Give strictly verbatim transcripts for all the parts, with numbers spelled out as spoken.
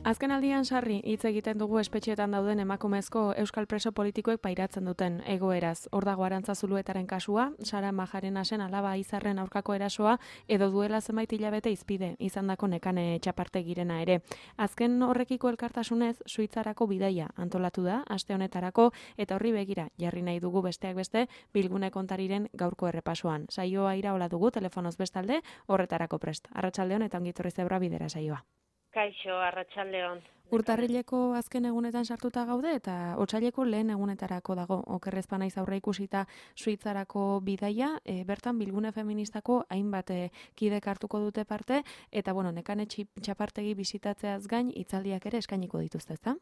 Azken aldian sarri hitz egiten dugu espetxeetan dauden emakumezko euskal preso politikoek pairatzen duten egoeraz. Hor dago Arantza Zuluetaren kasua, Sara Majarenasen alaba Izarren aurkako erasoa edo duela zenbait hilabete izpide izandako Nekane Txapartegirena ere. Azken horrekiko elkartasunez Suitzarako bidaia antolatu da aste honetarako eta horri begira jarri nahi dugu besteak beste Bilgune Kontariren gaurko errepasoan. Saioa iraola dugu telefonoz bestalde horretarako prest. Arratsaldeon eta ongi etorri Zebra Bidera saioa. Kaixo, arratsaldeon. Urtarrileko azken egunetan sartuta gaude eta otsaileko lehen egunetarako dago okerrezpa naiz aurre ikusita Suitzarako bidaia, e, bertan Bilgune Feministako hainbat e, kidek hartuko dute parte eta bueno, Nekane Txapartegi bisitatzeaz gain hitzaldiak ere eskainiko dituzte, ezta?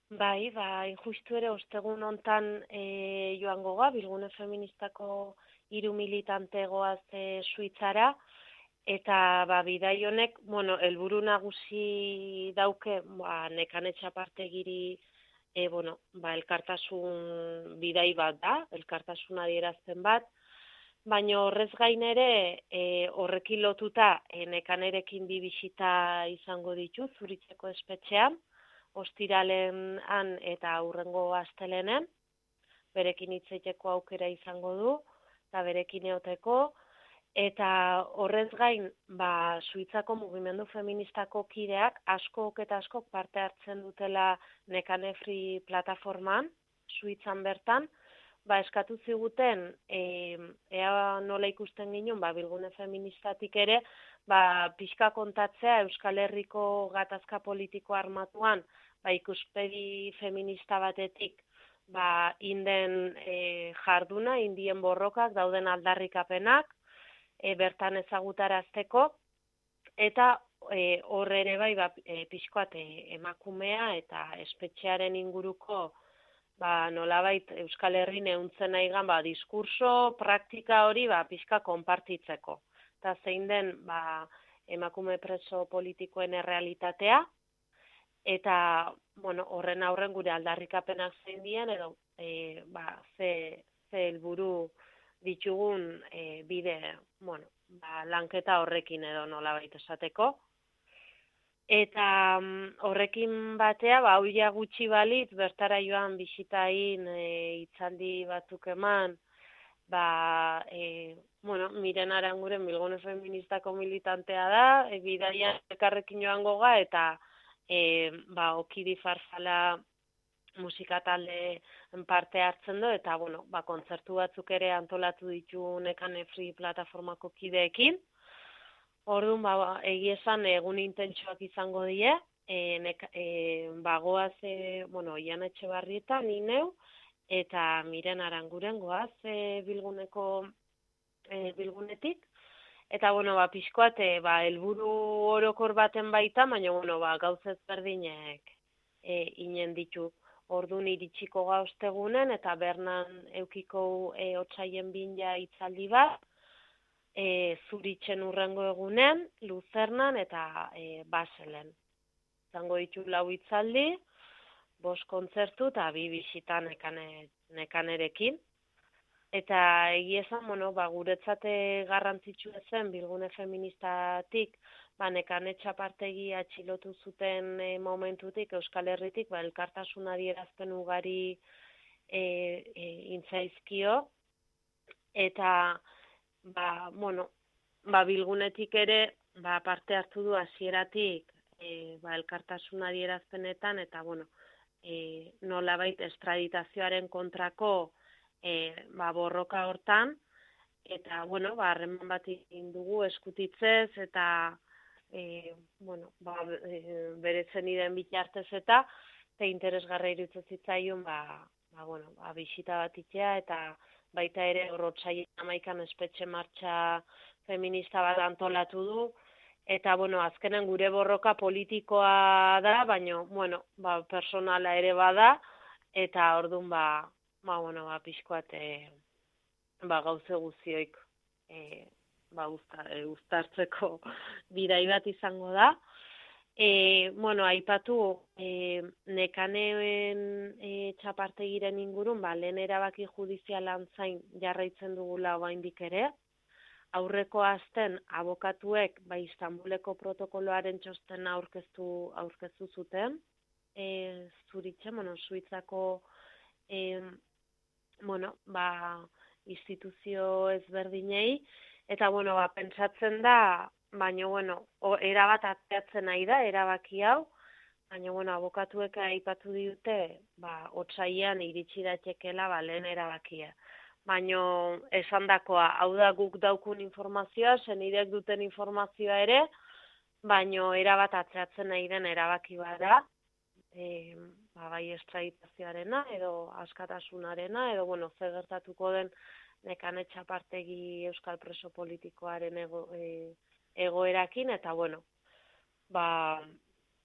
Bai, bai, justu ere ostegun hontan e, joango ga Bilgune Feministako hiru militante goaz e, Suitzara. Eta ba, bidai honek, bueno, helburu nagusi dauke, ba, Nekane Txapartegiri e, bueno, ba, elkartasun bidai bat da, elkartasun adierazten bat, baina horrez gain ere e, horrekin lotuta e, Nekanerekin bi bisita izango ditu Zuritzeko espetxean, ostiralen han eta aurrengo astelenen, berekin hitz egiteko aukera izango du, eta berekin eoteko. Eta horrez gain, ba, Suitzako mugimendu feministako kideak askok eta askok parte hartzen dutela Nekane Free plataformaan, Suitzan bertan, ba, eskatu ziguten, e, ea nola ikusten ginen, ba, Bilgune Feministatik ere, ba, pixka kontatzea Euskal Herriko gatazka politiko armatuan, ba, ikuspegi feminista batetik, ba, inden e, jarduna, indien borrokak, dauden aldarrikapenak, E, bertan ezagutarazteko, eta e, hor ere bai ba, e, pixkoat e, emakumea eta espetxearen inguruko ba, nolabait Euskal Herrin ehuntzen nahigan ba, diskurso, praktika hori ba, pixka konpartitzeko. Eta zein den ba, emakume preso politikoen errealitatea, eta bueno, horren aurren gure aldarrikapenak zein dien, edo e, ba, ze, ze helburu ditugun e, bide, bueno, ba, lanketa horrekin edo nolabait esateko. Eta um, horrekin batea, ba, hauia gutxi balitz, bertara joan bisitain e, hitzaldi batzuk eman, ba, e, bueno, Miren Aranguren Bilgune Feministako militantea da, e, bidaia elkarrekin joango ga, eta e, ba, Okidi Farzala musika talde parte hartzen du, eta bueno, ba, kontzertu batzuk ere antolatu ditu Nekane Free plataformako kideekin. Orduan, ba, egia esan egun intentsuak izango die, e, neka, e, bagoaz, e, bueno, Ian Etxebarrieta, ni neu, eta Miren Aranguren goaz e, Bilguneko e, Bilgunetik. Eta, bueno, ba, pixkoat, e, ba, helburu orokor baten baita, baina, bueno, ba, gauzez berdinek e, inen ditu. Orduan iritsiko ga ostegunen eta bernan eukiko e, otsaien binja hitzaldi bat, e, Zuritzen urrengo egunen, Luzernan eta e, Baselen. Zango ditu lau hitzaldi, bost kontzertu eta bi bisita nekane, nekanerekin. Eta egia esan, bueno, ba, guretzate garrantzitsu zen Bilgune Feministatik, ba, Nekane Txapartegi atxilotu zuten e, momentutik, Euskal Herritik, ba, elkartasun adierazpen ugari e, e, intzaizkio, eta, ba, bueno, ba, Bilgunetik ere, ba, parte hartu du hasieratik e, ba, elkartasun adierazpenetan, eta, bueno, e, nolabait estraditazioaren kontrako e, ba, borroka hortan, eta, bueno, ba, harreman bat egin dugu eskutitzez, eta, E, bueno, ba, e, beretzen iden bitartez eta eta interesgarra iruditzen zitzaion ba, ba, bueno, ba, bisita bat itzea eta baita ere horrotsaien hamaikan espetxe martxa feminista bat antolatu du eta bueno, azkenen gure borroka politikoa da, baina bueno, ba, personala ere bada eta ordun ba, ba, bueno, ba, pixkoat e, ba, gauze guzioik e, ba, uztartzeko bidai bat izango da. E, bueno, aipatu e, Nekaneen e, Txapartegiren ingurun, ba, lehen erabaki judizialan zain jarraitzen dugula oraindik ere. aurreko asten abokatuek ba, Istanbuleko protokoloaren txostena aurkeztu, aurkeztu zuten, e, Zuritxe, bueno, Suitzako e, bueno, ba, instituzio ezberdinei, eta bueno, ba, pentsatzen da, baina bueno, o, erabat atzeatzen nahi da, erabaki hau, baina bueno, abokatuek aipatu dute, ba, otsailean iritsi daitekeela ba, lehen erabakia. Baina esandakoa, hau da guk daukun informazioa, senidek duten informazioa ere, baina erabat atzeatzen nahi den erabaki bada, e, ba, bai estraditazioarena edo askatasunarena, edo bueno, ze gertatuko den Nekane Txapartegi euskal preso politikoaren ego, e, egoerakin, eta bueno, ba,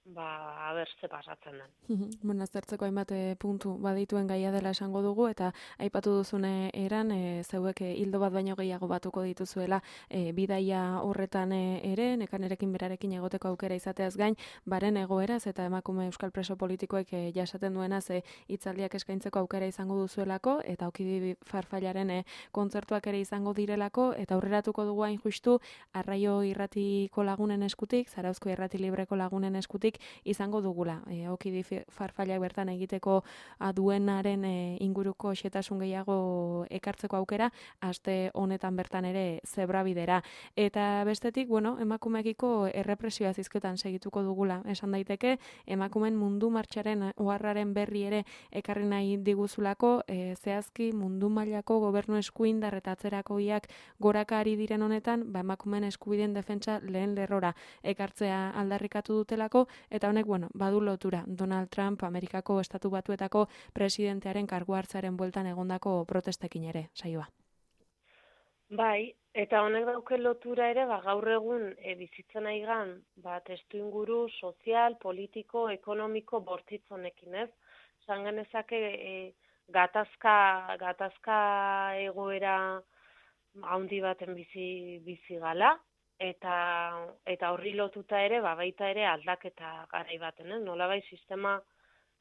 ba, aber ze pasatzen den. Bueno, aztertzeko hainbat puntu badituen gaia dela esango dugu, eta aipatu duzune eran, e, zeuek hildo bat baino gehiago batuko dituzuela e, bidaia horretan ere, Nekanerekin berarekin egoteko aukera izateaz gain, baren egoeraz eta emakume euskal preso politikoek e, jasaten duenaz e, hitzaldiak eskaintzeko aukera izango duzuelako, eta Okidi Farfallaren e, kontzertuak ere izango direlako, eta aurreratuko dugu hain justu, Arraio Irratiko lagunen eskutik, Zarauzko Irrati Libreko lagunen eskutik, izango dugula. E, Okidi Farfallak bertan egiteko duenaren e, inguruko xetasun gehiago ekartzeko aukera, aste honetan bertan ere zebrabidera. Eta bestetik, bueno, emakumekiko errepresioa zizketan segituko dugula. Esan daiteke, emakumen mundu martxaren oharraren berri ere ekarri nahi diguzulako, e, zehazki mundu mailako gobernu eskuindar eta atzerakoiak goraka ari diren honetan, ba, emakumen eskubideen defentsa lehen lerrora ekartzea aldarrikatu dutelako, eta honek, bueno, badu lotura Donald Trump Amerikako Estatu Batuetako presidentearen kargu hartzaren bueltan egondako protestekin ere, saioa. Bai, eta honek dauke lotura ere, ba, gaur egun e, bizitzen aigan, ba, testu inguru sozial, politiko, ekonomiko bortitz honekin, ez? Zan genezake e, gatazka, gatazka egoera handi baten bizi, bizi gala, eta eta horri lotuta ere, ba, baita ere aldaketa garai baten, eh? Nolabait sistema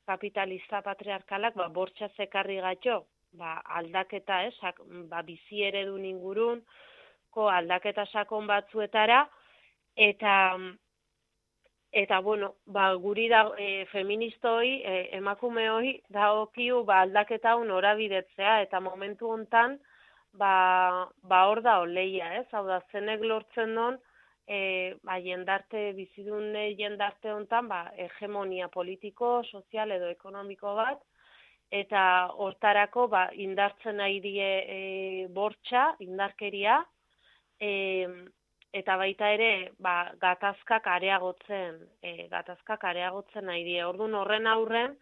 kapitalista patriarkalak ba, bortxa zekarri gatxo, ba, aldaketa, eh? Sak, ba, bizi eredun ingurun, ko aldaketa sakon batzuetara, eta eta bueno, ba, guri da e, feministoi, e, emakume hoi, da okiu ba, aldaketa hau norabidetzea, eta momentu hontan, ba, ba hor da oleia, ez? Hau da, zenek lortzen don, e, ba, jendarte, bizidun jendarte hontan, ba, hegemonia politiko, sozial edo ekonomiko bat, eta hortarako, ba, indartzen nahi die e, bortxa, indarkeria, e, eta baita ere, ba, gatazkak areagotzen, e, gatazkak areagotzen nahi die. Orduan horren aurren,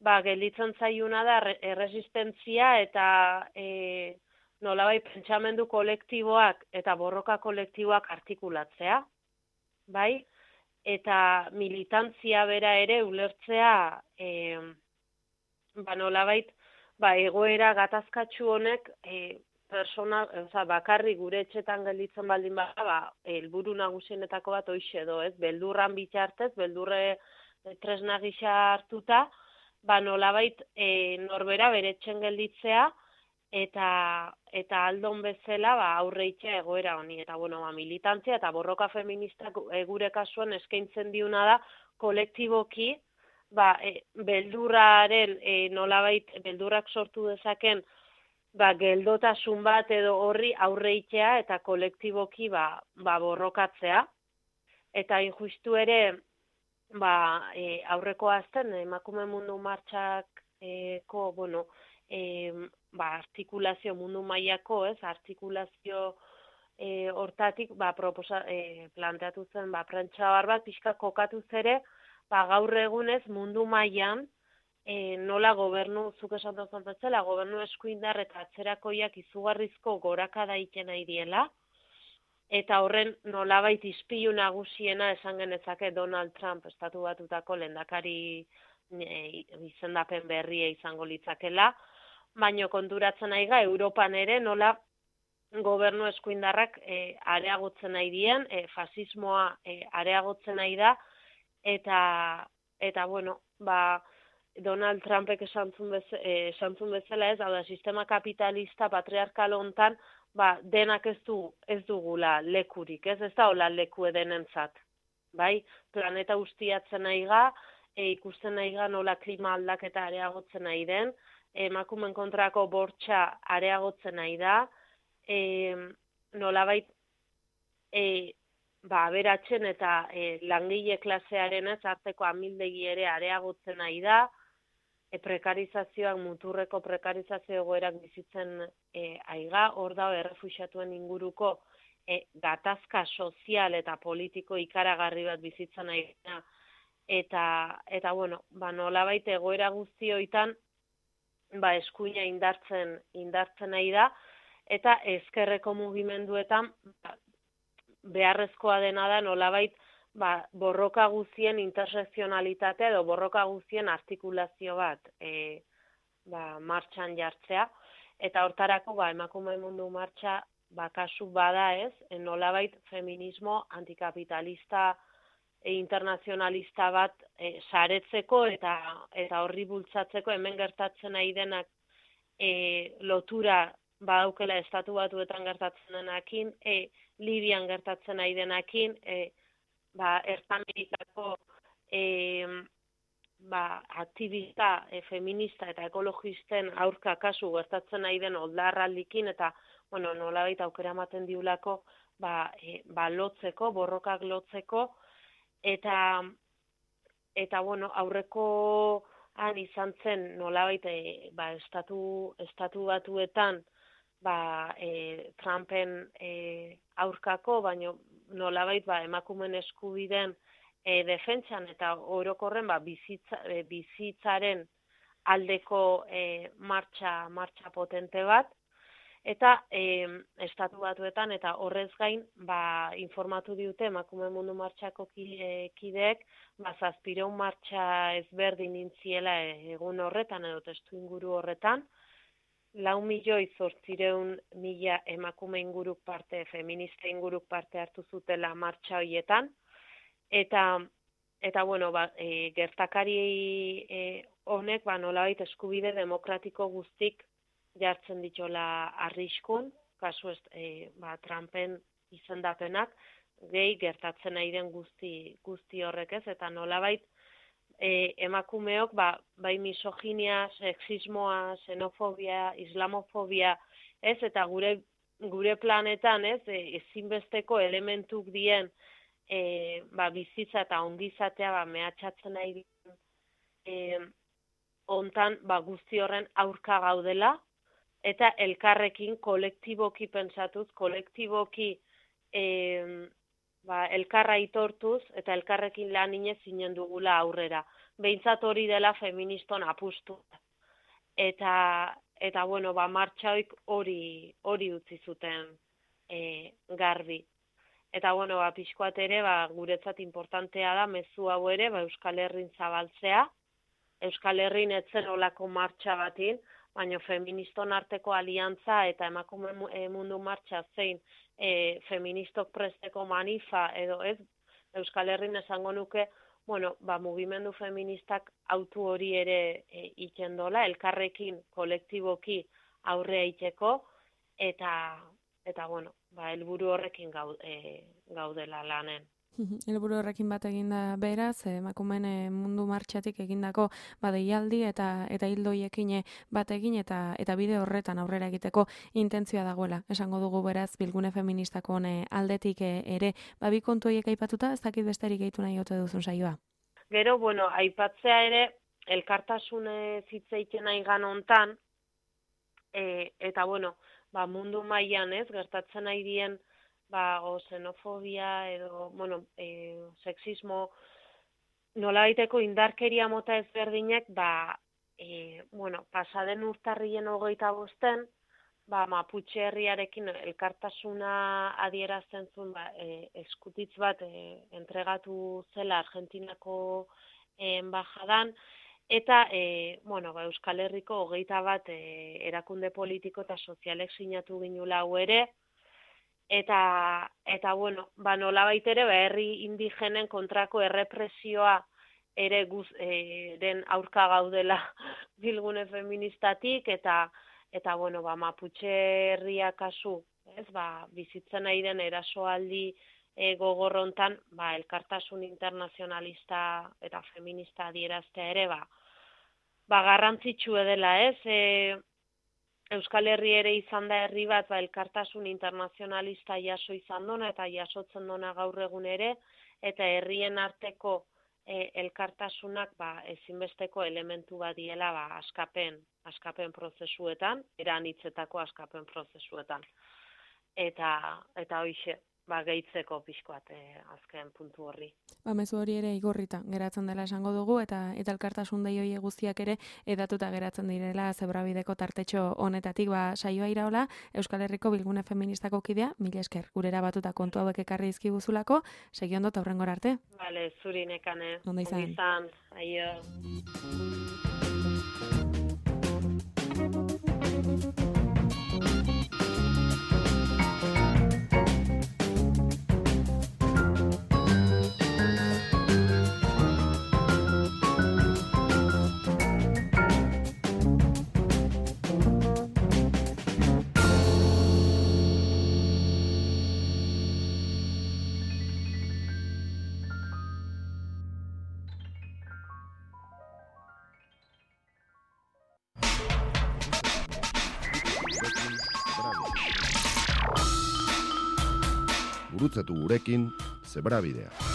ba, gelditzen zaiuna da erresistentzia eta e, nolabait pentsamendu kolektiboak eta borroka kolektiboak artikulatzea, bai? Eta militantzia bera ere ulertzea, e, ba, nolabait, ba, egoera gatazkatsu honek e, persona, oza, bakarri gure etxetan gelditzen baldin bada, ba, helburu nagusienetako bat hoixe edo, ez? Beldurran bitartez, beldurre tresna gisa hartuta, ba, nolabait e, norbera bere etxen gelditzea, eta eta aldon bezala ba aurreitzea egoera honi, eta bueno, ba, militantzia eta borroka feministak e, gure kasuan eskaintzen diuna da kolektiboki, ba, e, beldurraren e, nolabait beldurrak sortu dezaken ba, geldotasun bat edo horri aurreitzea eta kolektiboki ba, ba borrokatzea, eta injustu ere ba, e, aurreko azten emakume mundu martxako, bueno, e, ba, artikulazio mundu mailako, ez, artikulazio e, hortatik, ba, proposa, e, planteatu zen, ba, prentsa bat pixka kokatu zere, ba, gaur egunez mundu mailan e, nola gobernu, zuk esan duzun bezala, gobernu eskuindar eta atzerakoiak izugarrizko gorakada egiten nahi diela, eta horren nolabait ispilu nagusiena esan genezake Donald Trump Estatu Batutako lehendakari e, izendapen berria izango litzakela, baino konturatzen nahi ga, Europan ere nola gobernu eskuindarrak e, areagotzen nahi dien, e, fasismoa e, areagotzen nahi da, eta, eta bueno, ba, Donald Trumpek esantzun bezala, e, esantzun bezala ez, hau da, sistema kapitalista patriarkal hontan, ba, denak ez du ez dugula lekurik, ez, ez da hola leku edenentzat. Bai, planeta ustiatzen nahi ga, e, ikusten nahi ga nola klima aldaketa areagotzen nahi den, emakumen kontrako bortxa areagotzen nahi da, e, nolabait e, ba, aberatzen eta e, langile klasearen ez arteko amildegi ere areagotzen nahi da, e, prekarizazioak, muturreko prekarizazio egoerak bizitzen e, aiga, hor da errefuxiatuen inguruko e, gatazka sozial eta politiko ikaragarri bat bizitzen nahi da, eta, eta bueno, ba, nolabait egoera guzti hoitan, ba, eskuina indartzen, indartzen nahi da, eta ezkerreko mugimenduetan ba, beharrezkoa dena da nolabait ba, borroka guztien intersekzionalitatea edo borroka guztien artikulazio bat e, ba, martxan jartzea. Eta hortarako ba, emakume mundu martxa ba, kasu bada ez, nolabait feminismo antikapitalista e, internazionalista bat e, saretzeko eta, eta horri bultzatzeko hemen gertatzen nahi denak e, lotura badaukela estatu batuetan gertatzen denakin, e, Libian gertatzen nahi denakin, e, ba, Ertamerikako e, ba, aktivista, e, feminista eta ekologisten aurka kasu gertatzen nahi den oldarraldikin, eta bueno, nolabait aukera ematen diulako ba, e, ba, lotzeko, borrokak lotzeko, eta, eta bueno, aurreko han izan zen nolabait e, ba, estatu, estatu batuetan, ba, e, Trumpen e, aurkako, baino nolabait ba, emakumen eskubiden e, defentsan eta orokorren ba, bizitza, e, bizitzaren aldeko e, martxa, martxa potente bat, eta e, estatu batuetan eta horrez gain ba, informatu diute emakume mundu martxako kideek ba, zazpireun martxa ezberdin intziela egun horretan edo testu inguru horretan, lau milioi zortzireun mila emakume inguruk parte, feminista inguruk parte hartu zutela martxa horietan, eta, eta bueno, ba, e, gertakari e, honek ba, nolabait eskubide demokratiko guztik jartzen ditola arriskun, kasu ez, e, ba, Trumpen izendapenak, gehi gertatzen nahi den guzti, guzti horrek ez, eta nolabait E, emakumeok ba, bai misoginia, sexismoa, xenofobia, islamofobia, ez, eta gure, gure planetan, ez, e, ezinbesteko elementuk dien e, ba, bizitza eta ongizatea ba, mehatxatzen nahi dien e, ontan ba, guzti horren aurka gaudela, eta elkarrekin kolektiboki pentsatuz, kolektiboki e, ba, elkarra itortuz eta elkarrekin lan inez zinen dugula aurrera. Behintzat hori dela feministon apustu. Eta, eta bueno, ba, martxaoik hori, hori utzi zuten e, garbi. Eta, bueno, ba, pixkoat ere, ba, guretzat importantea da, mezu hau ere, ba, Euskal Herrin zabaltzea. Euskal Herrin etzen olako martxa batin, baina feministon arteko aliantza eta emakume mundu martxa zein e, feministok presteko manifa edo ez, Euskal Herrin esango nuke, bueno, ba, mugimendu feministak autu hori ere e, ikendola, elkarrekin, kolektiboki aurrea iteko, eta, eta bueno, ba, helburu horrekin gau, e, gaudela lanen. Helburu horrekin bat eginda beraz, emakumeen mundu martxatik egindako badeialdi eta eta hildoiekin bat egin eta eta bide horretan aurrera egiteko intentzioa dagoela. Esango dugu beraz Bilgune Feministako aldetik ere, ba bi kontu horiek aipatuta, ez dakit besterik gehitu nahi ote duzun saioa. Gero, bueno, aipatzea ere elkartasune hitz egiten aigan hontan, e, eta bueno, ba mundu mailan, ez, gertatzen nahi dien ba, o xenofobia edo, bueno, e, sexismo, nolabaiteko indarkeria mota ezberdinak, ba, e, bueno, pasaden urtarrien hogeita bosten, ba, Mapuche herriarekin elkartasuna adierazten zuen, ba, e, eskutitz bat e, entregatu zela Argentinako e, enbajadan, eta, e, bueno, ba, Euskal Herriko hogeita bat e, erakunde politiko eta sozialek sinatu ginula hau ere, Eta, eta bueno, ba, nolabait ere, ba, herri indigenen kontrako errepresioa ere guz, e, den aurka gaudela Bilgune feministatik, eta, eta bueno, ba, Mapuche herria kasu, ez, ba, bizitzen nahi den erasoaldi e, gogorrontan, ba, elkartasun internazionalista eta feminista adieraztea ere, ba, ba, garrantzitsu dela, ez, e, Euskal Herri ere izan da herri bat, ba, elkartasun internazionalista jaso izan dona eta jasotzen dona gaur egun ere, eta herrien arteko e, elkartasunak ba, ezinbesteko elementu bat diela ba, askapen, askapen prozesuetan, eranitzetako askapen prozesuetan. Eta, eta hoixe, ba, gehitzeko pixkoat e, azken puntu horri. Ba, mezu hori ere igorrita geratzen dela esango dugu, eta eta elkartasun dei hori guztiak ere edatuta geratzen direla Zebrabideko tartetxo honetatik. Ba, saioa iraola, Euskal Herriko Bilgune Feministako kidea, mila esker, gurera batuta kontu hauek ekarri dizkiguzulako, segi ondo eta hurrengora arte. Bale, zuri nekane. Ondo izan. Ondo izan, aio. Gurutzatu gurekin Zebrabidea.